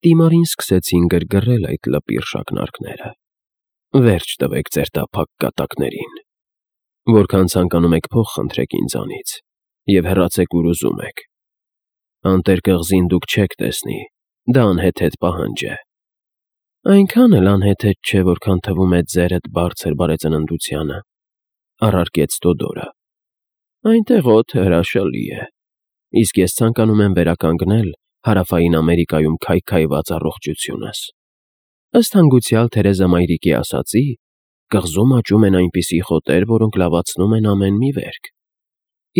Տիմարին սկսեցին գրգռել այդ լպիր շակնարկները։ Վերջ տվեք ձեր տափակ կատակներին։ Որքան ցանկանում եք փող խնդրեք ինձանից և հեռացեք ուր ուզում եք։ Անտեր կղզին դուք չեք տեսնի, դա անհեթեթ պահանջ է։ Այնքան էլ անհեթեթ չէ, որքան թվում է ձերդ բարձր բարեծննդությանը, առարկեց Տոդորը։ Այնտեղ օդը հրաշալի է, իսկ ես ցանկանում եմ վերականգնել Հարավային Ամերիկայում քայքայված առողջությունս։ Ըստ հանգուցյալ Թերեզա մայրիկի ասածի, կղզում աճում են այնպիսի խոտեր, որոնք լավացնում են ամեն մի վերք։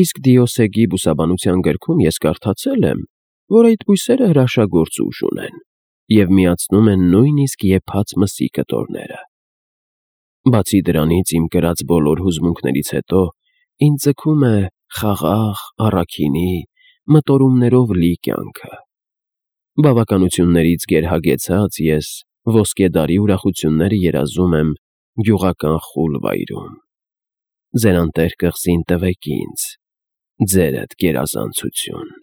Իսկ Դիոսեգի բուսաբանության գրքում ես կարդացել եմ, որ այդ բույսերը հրաշագործ ուժ ունեն և միացնում են նույնիսկ եփած մսի կտորները։ Բացի դրանից, իմ կրած բոլոր հուզմունքներից հետո ինձ ձգում է խաղաղ, առաքինի, մտորումներով լի կյանքը։ Բավականություններից գերհագեցած ես ոսկեդարի ուրախությունները երազում եմ գյուղական խուլ վայրում։ Ձեր անտեր կղզին տվեք ինձ, ձերդ գերազանցություն։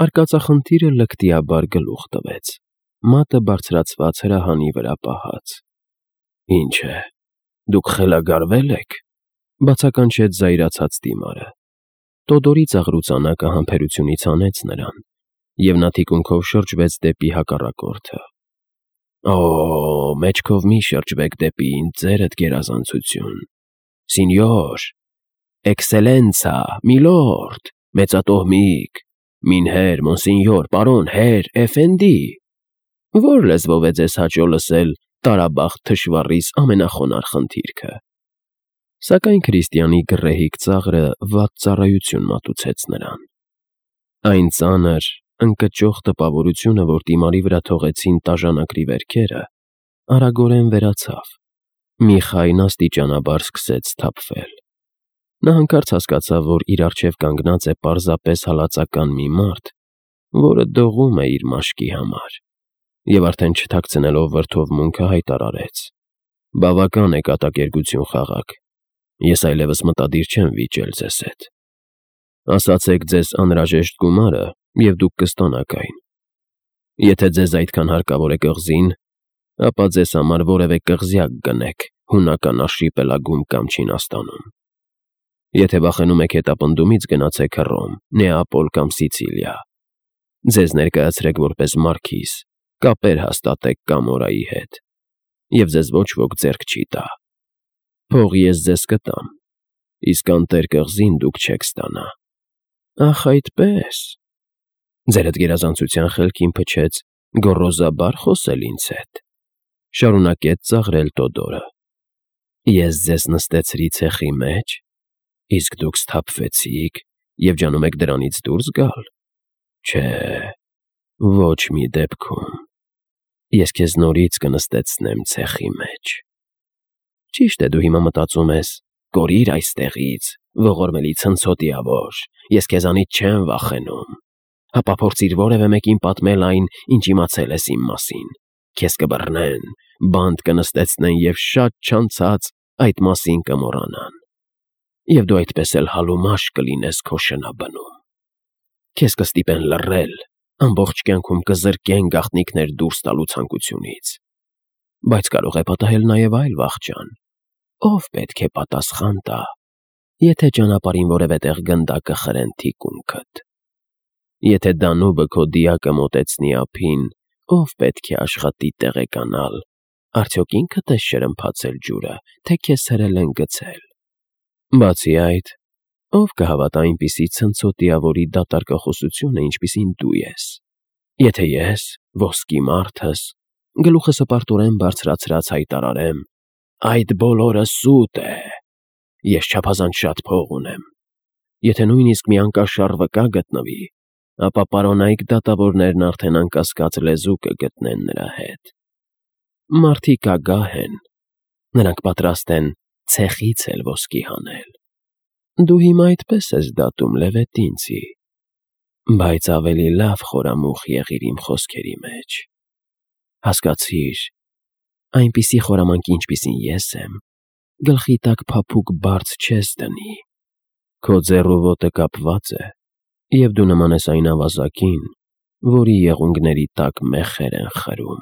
Արկածախնդիրը լկտիաբար գլուխ տվեց, մատը բարձրացված հրահանի վրա պահած։ Ինչ է, դուք խելագարվե՞լ եք, բացականչեց զայրացած Տիմարը։ Տոդորի ծաղրուծանակը համբերությունից հանեց նրան, և նա թիկունքով շրջվեց դեպի հակառակորդը։ Օ, մեջքով մի շրջվեք դեպի ինձ, ձերդ գերազանցություն։ Սինյոր, էքսելենցա, միլորդ, մեծատոհմիկ, մինհեր, մոնսինյոր, պարոն, հեր, էֆենդի։ Որ լեզվով է ձեզ հաճո լսել տարաբախտ թշվառիս ամենախոնարհ խնդիրքը։ Սակայն քրիստիանի գռեհիկ ծաղրը վատ ծառայություն մատուցեց նրան։ Այն ծանր, ընկճող տպավորությունը, որ Տիմարի վրա թողեցին տաժանակրի վերքերը, արագորեն վերացավ։ Մի խայն աստիճանաբար սկսեց սթափվել։ Նա հանկարծ հասկացավ, որ իր առջև կանգնած է պարզապես հալածական մի մարդ, որը դողում է իր մաշկի համար, և արդեն չթաքցնելով վրդովմունքը հայտարարեց. «Բավական է կատակերգություն խաղաք, ես այլևս մտադիր չեմ վիճել ձեզ հետ։ Ասացեք ձեզ անհրաժեշտ գումարը, և դուք կստանաք այն։ Եթե ձեզ այդքան հարկավոր է կղզին, ապա ձեզ համար որևէ կղզյակ գնեք հունական արշիպելագում կամ Չինաստանում։ Եթե վախենում եք հետապնդումից, գնացեք Հռոմ, Նեապոլ կամ Սիցիլիա։ Ձեզ ներկայացրեք որպես մարքիզ, կապեր հաստատեք Կամորայի հետ, և ձեզ ոչ ոք ձեռք չի տա։ Փող ես ձեզ կտամ, իսկ անտեր կղզին դուք չեք ստանա»։ Ախ, այդպե՞ս։ Ձերդ գերազանցության խելքին փչեց գոռոզաբար խոսել ինձ հետ, շարունակեց ծաղրել Տոդորը։ Ես ձեզ նստեցրի ցեխի մեջ, իսկ դուք սթափվեցիք և ջանում եք դրանից դուրս գալ։ Չէ, ոչ մի դեպքում։ Ես քեզ նորից կնստեցնեմ ցեխի մեջ։ Ճիշտ է, դու հիմա մտածում ես. «Կորիր այստեղից, ողորմելի ցնցոտիավոր, ես քեզանից չեմ վախենում։ Հապա փորձիր որևէ մեկին պատմել այն, ինչ իմացել ես իմ մասին։ Քեզ կբռնեն, բանտ կնստեցնեն և շատ չանցած այդ մասին կմոռանան։ Եվ դու այդպես էլ հալումաշ կլինես քո շնաբնում։ Քեզ կստիպեն լռել, ամբողջ կյանքում կզրկեն գաղտնիքներ դուրս տալու ցանկությունից։ Բայց կարող է պատահել նաև այլ վախճան։ Ով պետք է պատասխան տա, եթե ճանապարհին որևէ տեղ գնդակը խրեն թիկունքդ։ Եթե Դանուբը քո դիակը մոտեցնի ափին, ով պետք է աշխատի տեղեկանալ, արդյոք ինքդ ես շրմփացել ջուրը, թե քեզ հրել են գցել։ Բացի այդ, ով կհավատա այնպիսի ցնցոտիավորի դատարկախոսությունը, ինչպիսին դու ես։ Եթե ես, ոսկի մարդս, գլուխս հպարտորեն բարձրացրած հայտարարեմ. «Այդ բոլորը սուտ է, ես չափազանց շատ փող ունեմ», եթե նույնիսկ մի անկաշառ վկա գտնվի, ապա պարոնայք դատավորներն արդեն անկասկած լեզու կգտնեն նրա հետ։ Մարդիկ ագահ են, նրանք պատրաստ են ցեխից էլ ոսկի հանել։ Դու հիմա այդպես ես դատում Լևետինցի, բայց ավելի լավ խորամուխ եղիր իմ խոսքերի մեջ։ Հասկացիր, այնպիսի խորամանկ, ինչպիսին ես եմ, գլխի տակ փափուկ բարձ չես դնի։ Քո ձեռ ու ոտը կապված է, և դու նման ես այն ավազակին, որի եղունգների տակ մեխեր են խրում,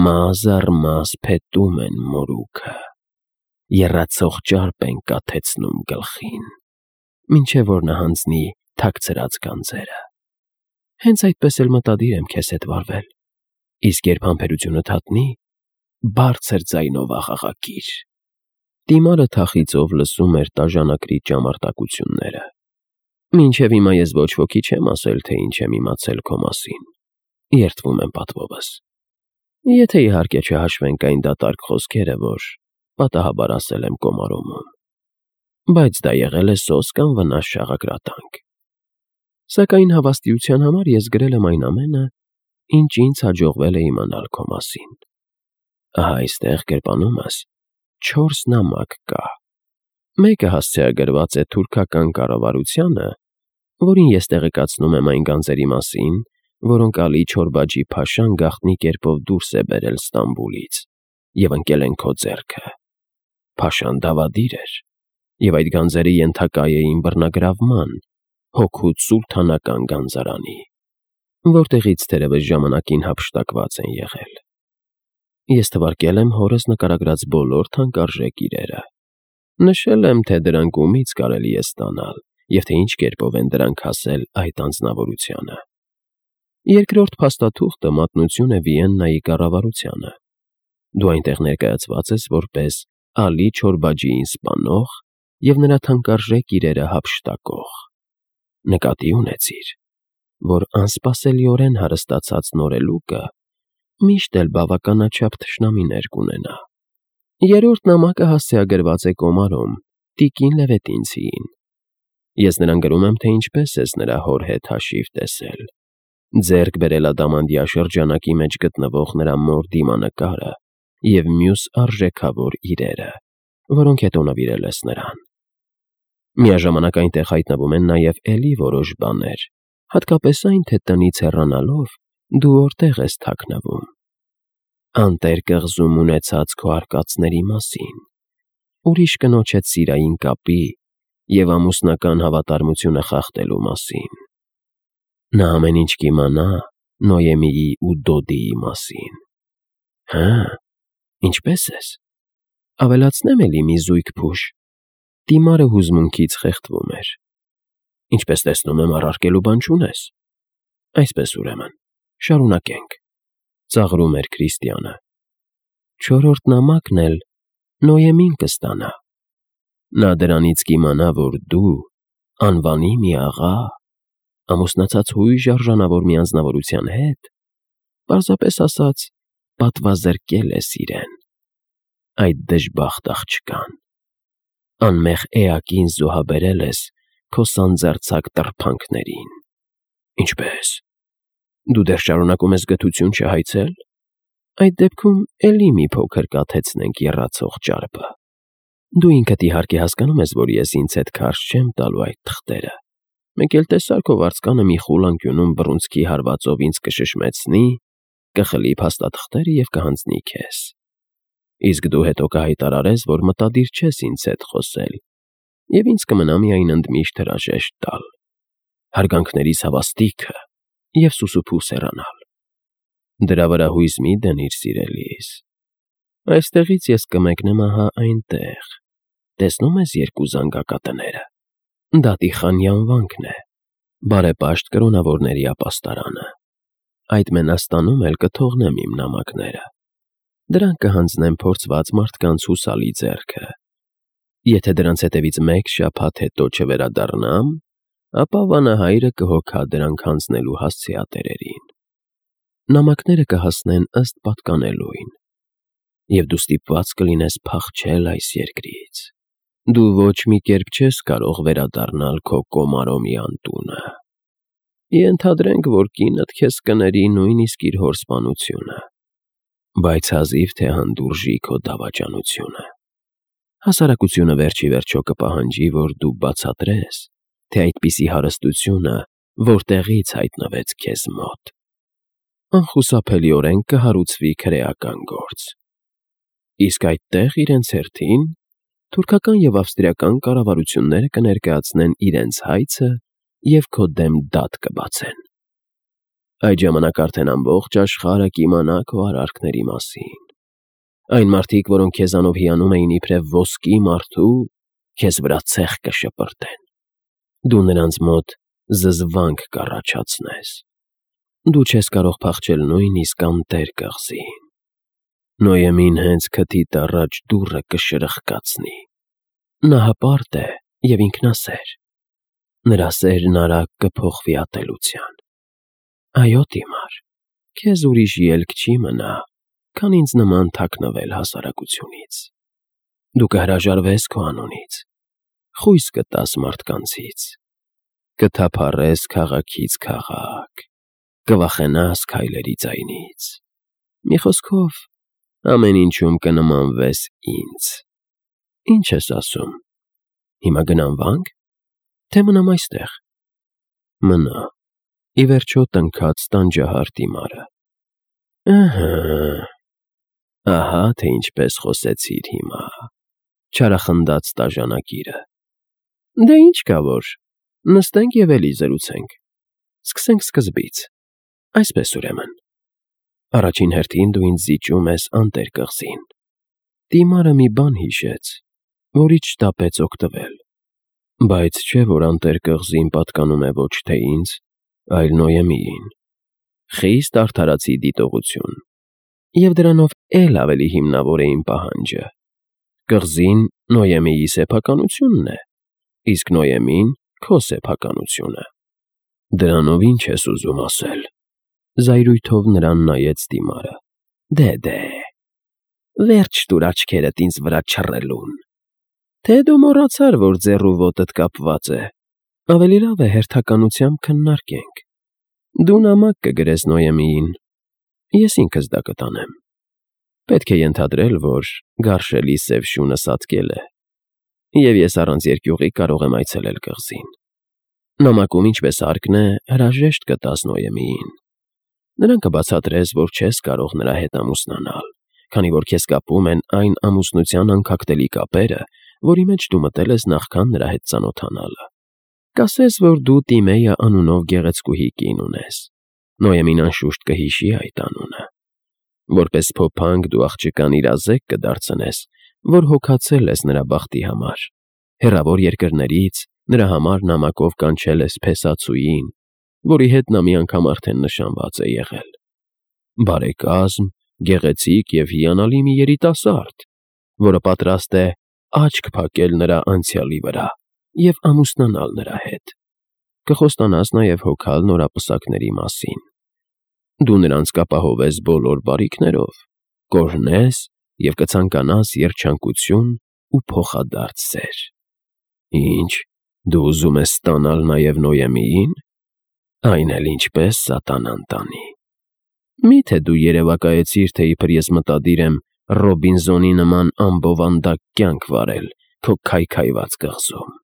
մազ առ մազ փետում են մորուքը, եռացող ճարպ են կաթեցնում գլխին, մինչև որ նա հանձնի թաքցրած գանձերը։ Հենց այդպես էլ մտադիր եմ քեզ հետ վարվել, իսկ երբ համբերությունը թատնի, բարձր ձայնով աղաղակիր։ Դիմարը թախիծով լսում էր տաժանակրի ճամարտակությունները։ Մինչև հիմա ես ոչ ոքի չեմ ասել, թե ինչ եմ իմացել քո մասին, երդվում եմ պատվովս։ Եթե իհարկե չհաշվենք այն դատարկ խոսքերը, որ պատահաբար ասել եմ Կոմարոմում, բայց դա եղել է սոս կամ վնաս շաղակրատանք։ Սակայն հավաստիության համար ես գրել եմ այն ամենը, ինչ ինձ հաջողվել է իմանալ քո մասին։ Ահա այստեղ գրպանումս 4 նամակ կա։ Մեկը հասցեագրված է թուրքական կառավարությանը, որին ես տեղեկացնում եմ այն գանձերի մասին, որոնք Ալի Չորբաջի փաշան գաղտնի կերպով դուրս է բերել Ստամբուլից և ընկել են քո ձեռքը։ Փաշան դավադիր էր, և այդ գանձերը ենթակա էին բռնագրավման հօգուտ սուլթանական գանձարանի, որտեղից թերևս ժամանակին հափշտակված են եղել։ Ես թվարկել եմ հորս նկարագրած բոլոր թանկարժեք իրերը։ Նշել եմ, թե դրանք ումից կարելի է ստանալ և թե ինչ կերպով են դրանք հասել այդ անձնավորությանը։ Երկրորդ փաստաթուղթը մատնություն է Վիեննայի կառավարությանը։ Դու այնտեղ ներկայացված ես որպես Ալի Չորբաջիին սպանող և նրա թանկարժեք իրերը հափշտակող։ Նկատի ունեցիր, որ անսպասելիորեն հարստացած նորելուկը միշտ էլ բավականաչափ թշնամիներ կունենա։ Երրորդ նամակը հասցեագրված է Կոմարոմ, տիկին Լևետինցիին։ Ես նրան գրում եմ, թե ինչպես ես նրա հոր հետ հաշիվ տեսել, ձեռք բերել Ադամանդյա շրջանակի մեջ գտնվող նրա մոր դիմանկարը և մյուս արժեքավոր իրերը, որոնք հետո նվիրել ես նրան։ Միաժամանակ այնտեղ հայտնվում են նաև էլի որոշ բաներ, հատկապես այն, թե տնից հեռանալով դու որտեղ ես թաքնվում։ Անտեր կղզում ունեցած քո արկածների մասին, ուրիշ կնոջ հետ սիրային կապի և ամուսնական հավատարմությունը խախտելու մասին։ Նա ամեն ինչ կիմանա Նոյեմիի ու Դոդիի մասին։ Հը՞, ինչպե՞ս ես։ Ավելացնե՞մ էլի մի զույգ փուշ։ Դիմարը հուզմունքից խեղդվում էր։ Ինչպես տեսնում եմ, առարկելու բան չունես։ Այսպես ուրեմն, շարունակենք, ծաղրում էր Քրիստիանը։ Չորրորդ նամակն էլ Նոյեմին կստանա։ Նա դրանից կիմանա, որ դու, անվանի մի աղա, ամուսնացած հույժ արժանավոր մի անձնավորության հետ, պարզապես ասած, պատվազրկել ես իրեն, այդ դժբախտ աղջկան, անմեղ էակին զոհաբերել ես քո սանձարձակ տրփանքներին։ Ինչպե՞ս։ Դու դեռ շարունակում ես գթություն չհայցել։ Այդ դեպքում էլի մի փոքր կաթեցնենք եռացող ճարպը։ Դու ինքդ իհարկե հասկանում ես, որ ես ինձ հետ քարշ չեմ տալու այդ թղթերը։ Մեկ էլ տեսար քո վարձկանը մի խուլ անկյունում բռունցքի հարվածով ինձ կշշմեցնի, կխլի փաստաթղթերը և կհանձնի քեզ։ Իսկ դու հետո կհայտարարես, որ մտադիր չես ինձ հետ խոսել, և ինձ կմնա միայն ընդմիշտ հրաժեշտ տալ, հարգանքներիս հավաստիքը և սուսուփուս հեռանալ։ Դրա վրա հույս մի դնիր, սիրելիս։ Այստեղից ես կմեկնեմ ահա այնտեղ, տեսնում ես երկու զանգակատները։ Դա Տիխանի անվանքն է, բարեպաշտ կրոնավորների ապաստարանը։ Այդ մենաստանում էլ կթողնեմ իմ նամակները։ Դրանք կհանձնեմ փորձված մարդկանց հուսալի ձեռքը։ Եթե դրանց հետևից մեկ շաբաթ հետո չվերադառնամ, ապա վանահայրը կհոգա դրանք հանձնելու հասցեատերերին։ Նամակները կհասնեն ըստ պատկանելույն, և դու ստիպված կլինես փախչել այս երկրից։ Դու ոչ մի կերպ չես կարող վերադառնալ քո Կոմարոմի անտունը։ Ենթադրենք, որ կինդ քեզ կների նույնիսկ իր հոր սպանությունը, բայց հազիվ թե հանդուրժի քո դավաճանությունը։ Հասարակությունը վերջ ի վերջո կպահանջի, որ դու բացատրես, թե այդպիսի հարստությունը որտեղից հայտնվեց քեզ մոտ։ Անխուսափելիորեն կհարուցվի քրեական գործ։ Իսկ այդտեղ իրենց հերթին թուրքական և ավստրիական կառավարությունները կներկայացնեն իրենց հայցը և քո դեմ դատ կբացեն։ Այդ ժամանակ արդեն ամբողջ աշխարհը կիմանա քո արարքների մասին։ Այն մարդիկ, որոնք քեզանով հիանում էին իբրև ոսկի մարդու, քեզ վրա ցեխ կշպրտեն։ Դու նրանց մոտ զզվանք կառաջացնես։ Դու չես կարող փախչել նույնիսկ անտեր կղզին։ Նոյեմին հենց քթիդ առաջ դուռը կշրխկացնի։ Նա հպարտ է և ինքնասեր։ Նրա սերն արագ կփոխվի ատելության։ Այո, Տիմար, քեզ ուրիշ ելք չի մնա, քան ինձ նման թաքնվել հասարակությունից։ Դու կհրաժարվես քո անունից, խույս կտաս մարդկանցից, կթափառես քաղաքից քաղաք, կվախենաս քայլերի ձայնից։ Մի խոսքով, ամեն ինչում կնմանվես ինձ։ Ինչ ես ասում, հիմա գնամ վանք, թե մնամ այստեղ։ Մնա, ի վերջո տնքաց տանջահար Տիմարը։ Ահա թե ինչպես խոսեցիր հիմա, չարախնդաց տաժանակիրը։ Դե ինչ կա որ, նստենք և էլի զրուցենք։ Սկսենք սկզբից։ Այսպես ուրեմն, առաջին հերթին դու ինձ զիջում ես անտեր կղզին։ Տիմարը մի բան հիշեց, որից շտապեց օգտվել։ Բայց չէ, որ անտեր կղզին պատկանում է ոչ թե ինձ, այլ Նոյեմիին։ Խիստ արդարացի դիտողություն։ Եվ դրանով էլ ավելի հիմնավոր է իմ պահանջը։ Կղզին Նոյեմիի սեփականությունն է, իսկ Նոյեմին քո սեփականությունը։ Դրանով ինչ ես ուզում ասել։ Զայրույթով նրան նայեց Տիմարը։ Դե, վերջ տուր աչքերդ ինձ վրա չռելուն։ Թե դու մոռացար, որ ձեռու ոտդ կապված է։ Ավելի լավ է հերթականությամբ քննարկենք։ Դու նամակ կգրես Նոյեմիին, ես ինքս դա կտանեմ։ Պետք է ենթադրել, որ գարշելի սև շունը սատկել է, և ես առանց երկյուղի կարող եմ այցելել կղզին։ Նամակում, ինչպես հարկն է, հրաժեշտ կտաս Նոյեմիին։ Նրան կբացատրես, որ չես կարող նրա հետ ամուսնանալ, քանի որ քեզ կապում են այն ամուսնության անքակտելի կապերը, որի մեջ դու մտել ես նախքան նրա հետ ծանոթանալը։ Կասես, որ դու Տիմեյա անունով գեղեցկուհի կին ունես։ Նոյեմին անշուշտ կհիշի այդ անունը։ Որպես փոփանկ դու աղջկան իրազեկ կդարձնես, որ հոգացել ես նրա բախտի համար։ Հեռավոր երկրներից նրա համար նամակով կանչել ես փեսացուին, որի հետ նա մի անգամ արդեն նշանված է եղել։ Բարեկազմ, գեղեցիկ և հիանալի մի երիտասարդ, որը պատրաստ է աչք փակել նրա անցյալի վրա և ամուսնանալ նրա հետ։ Կխոստանաս նաև հոգալ նորապսակների մասին։ Դու նրանց կապահովես բոլոր բարիքներով, կօրհնես և կցանկանաս երջանկություն ու փոխադարձ սեր։ Ինչ, դու ուզում ես ստանալ նաև Նոյեմիին։ Այն էլ ինչպես սատանան տանի։ Մի՞թե դու երևակայեցիր, թե իբր ես մտադիր եմ Ռոբինզոնի նման ամբովանդակ կյանք վարել քո քայքայված կղզում։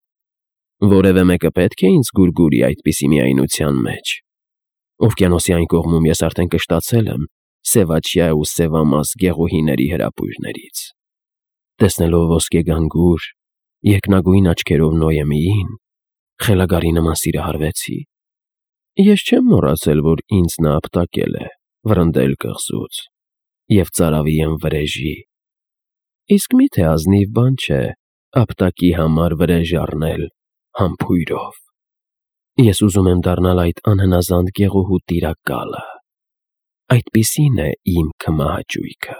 Որևէ մեկը պետք է ինձ գուրգուրի այդպիսի միայնության մեջ։ Օվկիանոսի այն կողմում ես արդեն կշտացել եմ սևաչյա ու սևամաս գեղուհիների հրապույրներից։ Տեսնելով ոսկեգանգուր, երկնագույն աչքերով Նոյեմիին, խելագարի նման սիրահարվեցի։ Ես չեմ մոռացել, որ ինձ նա ապտակել է, վռնդել կղզուց և ծարավի եմ վրեժի։ Իսկ մի՞թե ազնիվ բան չէ ապտակի համար վրեժ առնել համբույրով։ Ես ուզում եմ դառնալ այդ անհնազանդ գեղուհու տիրակալը։ Այդպիսին է իմ քմահաճույքը։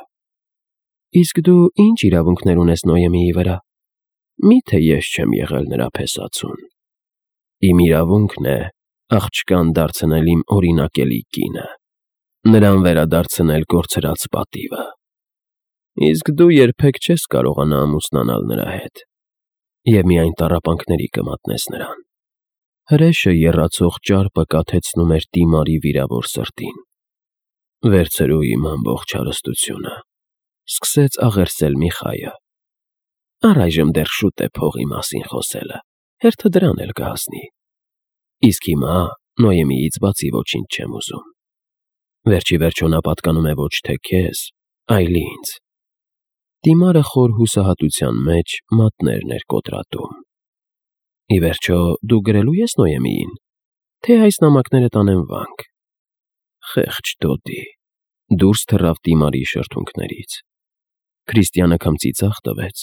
Իսկ դու ինչ իրավունքներ ունես Նոյեմիի վրա։ Մի՞թե ես չեմ եղել նրա փեսացուն։ Իմ իրավունքն է աղջկան դարձնել իմ օրինակելի կինը, նրան վերադարձնել կորցրած պատիվը։ Իսկ դու երբեք չես կարողանա ամուսնանալ նրա հետ և միայն տառապանքների կմատնես նրան։ Հրեշը եռացող ճարպը կաթեցնում էր Տիմարի վիրավոր սրտին։ Վերցրու իմ ամբողջ հարստությունը, սկսեց աղերսել Միխայը։ Առայժմ դեռ շուտ է փողի մասին խոսելը, հերթը դրան էլ կհասնի։ Իսկ հիմա Նոյեմիից բացի ոչինչ չեմ ուզում։ Վերջ ի վերջո նա պատկանում է ոչ թե քեզ, այլ ինձ։ Տիմարը խոր հուսահատության մեջ մատներն էր կոտրատում։ Ի վերջո դու գրելու ես Նոյեմիին, թե այս նամակները տանեմ վանք։ Խեղճ Դոդի։ Դուրս թռավ Տիմարի շրթունքներից։ Քրիստիանը քմծիծաղ տվեց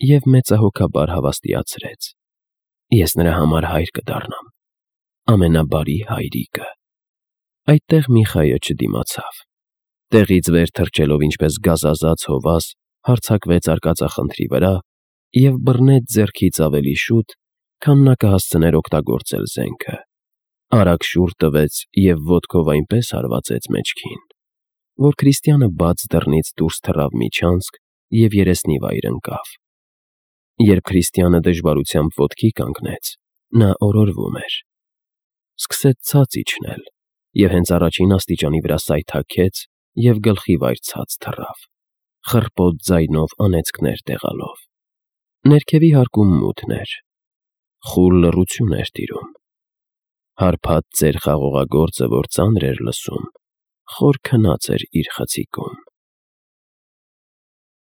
և մեծահոգաբար հավաստիացրեց. «Ես նրա համար հայր կդառնամ, ամենաբարի հայրիկը»։ Այդտեղ Միխայը չդիմացավ։ Տեղից վեր թռչելով ինչպես գազազած հովազ, հարձակվեց արկածախնդրի վրա և բռնեց ձեռքից ավելի շուտ, քան նա կհասցներ օգտագործել զենքը։ Արագ շուռ տվեց և ոտքով այնպես հարվածեց մեջքին, որ Քրիստիանը բաց դռնից դուրս թռավ միջանցք և երեսնիվայր ընկավ։ Երբ Քրիստիանը դժվարությամբ ոտքի կանգնեց, նա օրորվում էր։ Սկսեց ցած իջնել և հենց առաջին աստիճանի վրա սայթաքեց և գլխի վայր ցած թռավ, խռպոտ ձայնով անեծքներ տեղալով։ Ներքևի հարկում մութն էր։ Խուլ լռություն էր տիրում։ Հարբած ծեր խաղողագործը, որ ծանր էր լսում, խոր քնած էր իր խցիկում։